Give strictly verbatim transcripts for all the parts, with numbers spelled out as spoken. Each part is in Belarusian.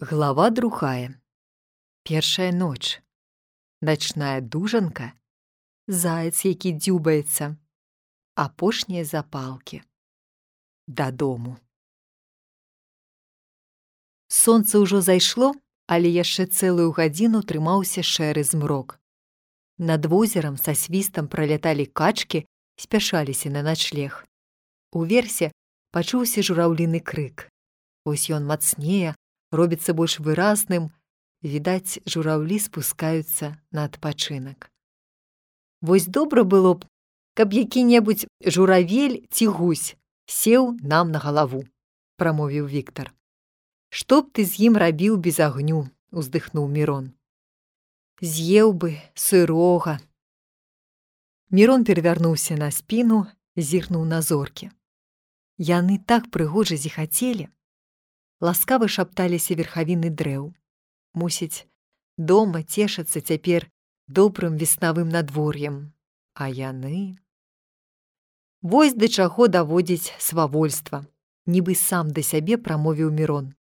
Глава другая. Першая ноч. Начная дужанка. Заяц, які дзюбаецца. Апошнія запалкі. Дадому. Сонца ўжо зайшло, але яшчэ цэлую гадзіну трымаўся шэры змрок. Над возерам са свістам праляталі качкі, спяшаліся на начлег. Уверсе пачуўся жураўліны крык. Вось ён мацнее, робіцца больш выразным, відаць, жураўлі спускаюцца на адпачынак. Вось добра было б, каб які-небудзь журавель ці гусь сеў нам на галаву, прамовіў Віктар. Што б ты з ім рабіў без агню, уздыхнуў Мірон. З'еў бы сырога. Мірон перавярнуўся на спіну, зірнуў на зоркі. Яны так прыгожа зіхацелі. Ласкава шапталіся верхавіны дрэў. Мусіць, дома цешацца цяпер добрым веснавым надвор'ем. А яны... Вось да чаго даводзіць свавольства, нібы сам да сябе прамовіў Мірон.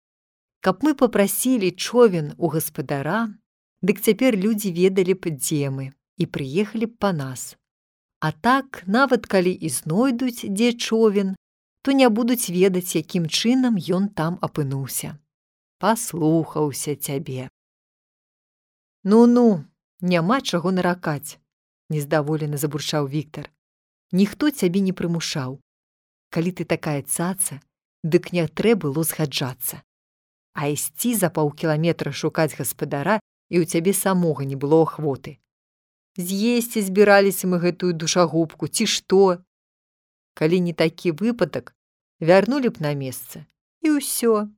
Каб мы папрасілі човен у гаспадара, дык цяпер людзі ведалі б, дзе мы, і прыехалі б па нас. А так, нават калі і знойдуць, дзе човен, то не будуць ведаць, якім чынам ён там апынуўся. Паслухаўся цябе. Ну-ну, няма чаго наракаць, нездаволена забурчаў Віктар. Ніхто цябе не прымушаў. Калі ты такая цаца, дык не трэ было згаджацца. А ісці за паўкіламетра шукаць гаспадара, і ў цябе самога не было ахвоты. З'есці збіраліся мы гэтую душагубку, ці што? Калі не такі выпадак, вярнулі б на месца, і ўсё.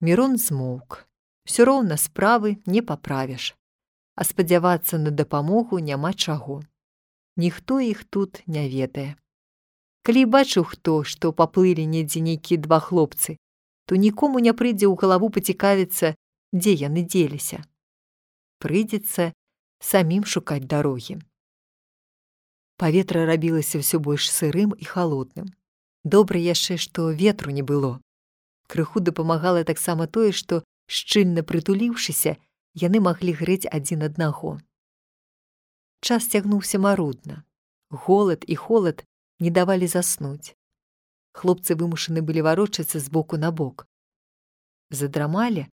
Мірон змоўк. Усё роўна справы не паправіш. А спадзявацца на дапамогу няма чаго. Ніхто іх тут не ведае. Калі бачыў хто, што паплылі недзе нейкія два хлопцы, то нікому не прыйдзе ў галаву пацікавіцца, дзе яны дзеліся. Прыйдзецца самім шукаць дарогі. Паветра рабілася ўсё больш сырым і халодным. Добра яшчэ, што ветру не было. Крыху дапамагала таксама тое, што, шчыльна прытуліўшыся, яны маглі грэць адзін аднаго. Час цягнуўся марудна. Голад і холад не давалі заснуць. Хлопцы вымушаны былі варочацца з боку на бок. Задрамалі,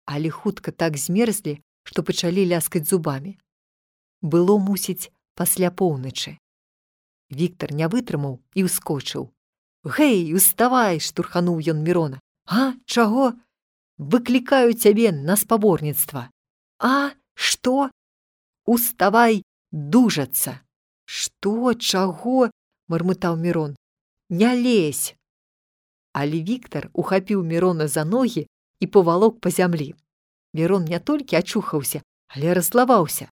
але хутка так змерзлі, што пачалі ляскаць зубамі. Было, мусіць, пасля поўначы. Віктар не вытрымаў і ўскочыў. «Гэй, уставай!» – штурхануў ён Мірона. «А, чаго? Выклікаю цябе на спаборніцтва». «А, што?» «Уставай дужацца». «Што, чаго?» – мармытаў Мірон. «Не лезь!» Але Віктар ухапіў Мірона за ногі і павалок па зямлі. Мірон не толькі ачухаўся, але раззлаваўся.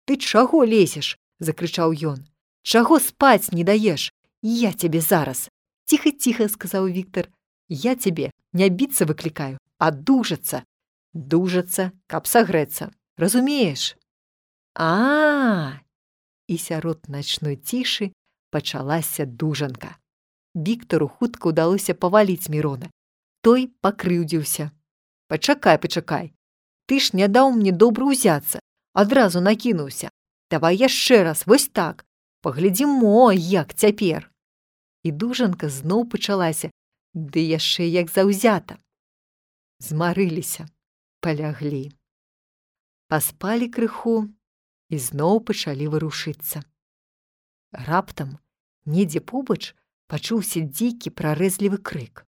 «Ты чаго лезеш?» – закрычаў ён. «Чаго спаць не даеш? Я цябе зараз!» «Ціха-ціха», – сказаў Віктар. «Я цябе не біцца выклікаю, а дужацца. Дужацца, каб сагрэцца. Разумееш?» «А-а-а!» І сярод начной цішы пачалася дужанка. Віктару хутка ўдалося паваліць Мірона. Той пакрыўдзіўся. «Пачакай, пачакай. Ты ж не даў мне добра ўзяцца. Адразу накінуўся. Давай яшчэ раз, вось так. Паглядзім, мо, як цяпер». І дужанка зноў пачалася, ды яшчэ як заўзята. Змарыліся, паляглі. Паспалі крыху і зноў пачалі варушыцца. Раптам, недзе побач, пачуўся дзікі прарэзлівы крык.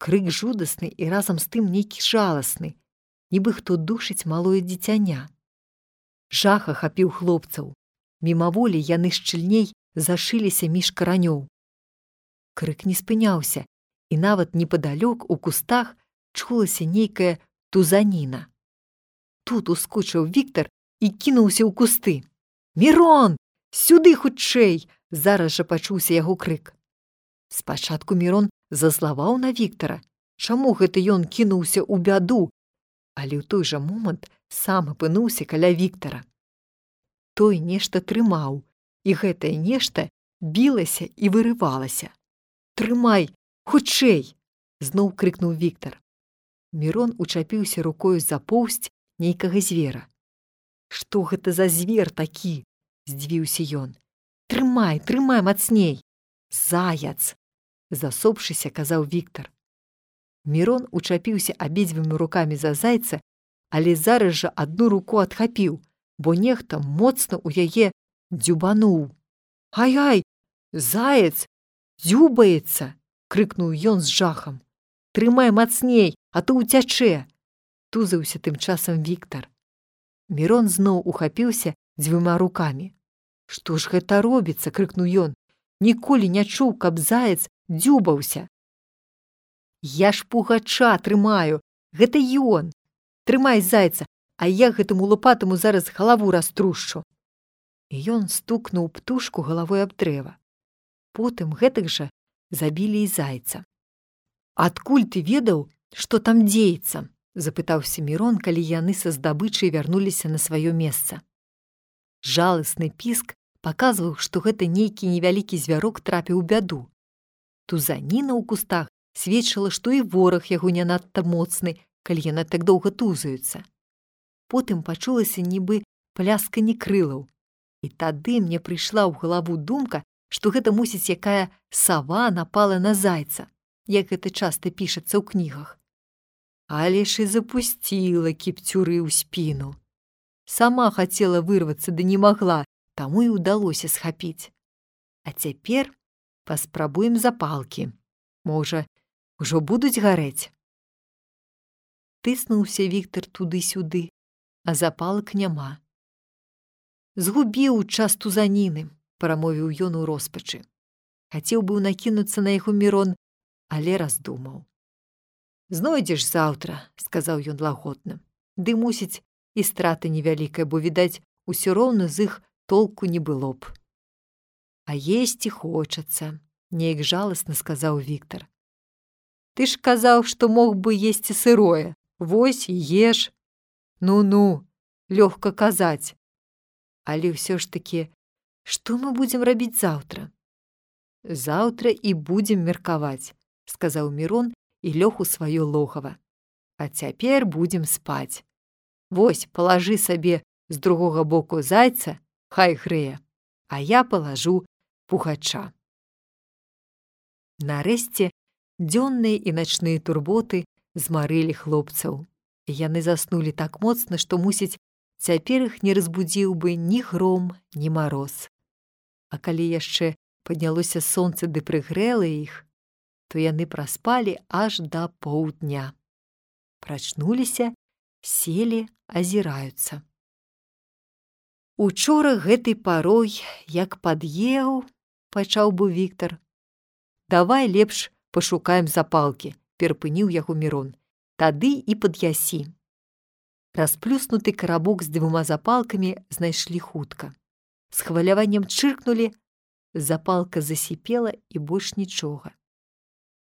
Крык жудасны і разам з тым нейкі жаласны, нібы хто душыць малое дзіцяня. Жах ахапіў хлопцаў. Мімаволі яны шчыльней зашыліся між каранёў. Крык не спыняўся, і нават непадалёк у кустах чулася нейкая тузаніна. Тут ускочыў Віктар і кінуўся ў кусты. «Мірон! Сюды хутчэй!» – зараз жа пачуўся яго крык. Спачатку Мірон зазлаваў на Віктара. Чаму гэта ён кінуўся ў бяду? Але ў той жа момант сам апынуўся каля Віктара. Той нешта трымаў, і гэтае нешта білася і вырывалася. «Трымай, хутчэй!» – зноў крыкнуў Віктар. Мірон учапіўся рукою за поўсць нейкага звера. «Што гэта за звер такі?» – здзівіўся ён. «Трымай, трымай мацней!» «Заяц!» – засопшыся, казаў Віктар. Мірон учапіўся абедзвюма рукамі за зайца, але зараз жа адну руку адхапіў, бо нехта моцна ў яе дзюбануў. «Ай-ай! Заяц дзюбаецца!» – крыкнуў ён з жахам. «Трымай мацней, а то ўцячэ!» – тузаўся тым часам Віктар. Мірон зноў ухапіўся дзвюма рукамі. «Што ж гэта робіцца?» – крыкнуў ён. «Ніколі не чуў, каб заяц дзюбаўся!» «Я ж пугача трымаю! Гэта ён! Трымай зайца, а я гэтаму лупатаму зараз галаву раструшчу!» І ён стукнуў птушку галавой аб дрэва. Потым гэтак жа забілі і зайца. «Адкуль ты ведаў, што там дзеецца?» – запытаўся Мірон, калі яны са здабычай вярнуліся на сваё месца. Жаласны піск паказваў, што гэта нейкі невялікі звярок трапіў у бяду. Тузаніна ў кустах сведчыла, што і вораг яго не надта моцны, калі яны так доўга тузаюцца. Потым пачулася нібы плясканне крылаў. І тады мне прыйшла ў галаву думка, што гэта, мусіць, якая сава напала на зайца, як гэта часта пішацца ў кнігах. Але ж і запусціла кіпцюры ў спіну. Сама хацела вырвацца, ды не магла, таму і ўдалося схапіць. А цяпер паспрабуем запалкі. Можа, ужо будуць гарэць?» Тыснуўся Віктар туды-сюды, а запалак няма. «Згубіў час тузаніны», – прамовіў ён у роспачы. Хацеў быў накінуцца на яго Мірон, але раздумаў. «Знойдзеш заўтра», – сказаў ён лагодна. «Ды, мусіць, і страта невялікая, бо, відаць, усё роўна з іх толку не было б». «А есці хочацца», – неяк жаласна сказаў Віктар. «Ты ж казаў, што мог бы есці сырое. Вось і еш». «Ну-ну, лёгка казаць. Але ўсё ж такі, што мы будзем рабіць заўтра?» «Заўтра і будзем меркаваць», – сказаў Мірон і лёг у сваё логава. «А цяпер будзем спаць. Вось, палажы сабе з другога боку зайца, хай грэе, а я палажу пугача». Нарэшце дзённыя і начныя турботы змарылі хлопцаў. Яны заснулі так моцна, што, мусіць, цяпер іх не разбудзіў бы ні гром, ні мароз. А калі яшчэ паднялося сонца ды прыгрэла іх, то яны праспалі аж да поўдня. Прачнуліся, селі, азіраюцца. «Учора гэтай парой, як пад'еў», – пачаў быў Віктар. «Давай лепш пашукаем запалкі», – перапыніў яго Мірон. «Тады і пад'ясі». Расплюснуты карабок з двума запалкамі знайшлі хутка. З хваляваннем чыркнулі, запалка засіпела і больш нічога.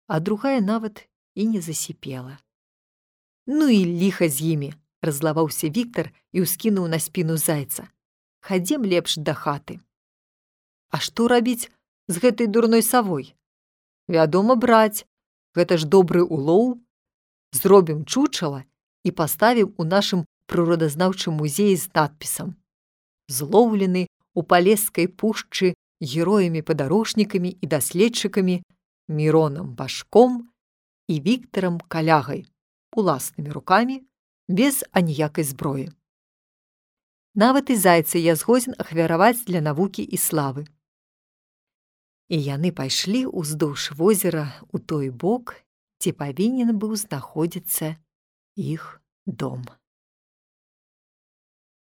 А другая нават і не засіпела. «Ну і ліха з імі», – раззлаваўся Віктар і ўскінуў на спіну зайца. «Хадзем лепш да хаты». «А што рабіць з гэтай дурной савой?» «Вядома, браць. Гэта ж добры улоў. Зробім чучала і паставім у нашым прыродазнаўчым музеі з надпісам: злоўлены у Палескай пушчы героямі-падарожнікамі і даследчыкамі Міронам Башком і Віктарам Калягай уласнымі рукамі, без аніякай зброі. Нават і зайца я згодзін ахвяраваць для навукі і славы». І яны пайшлі ўздоўж возера ў той бок, дзе павінен быў знаходзіцца іх дом.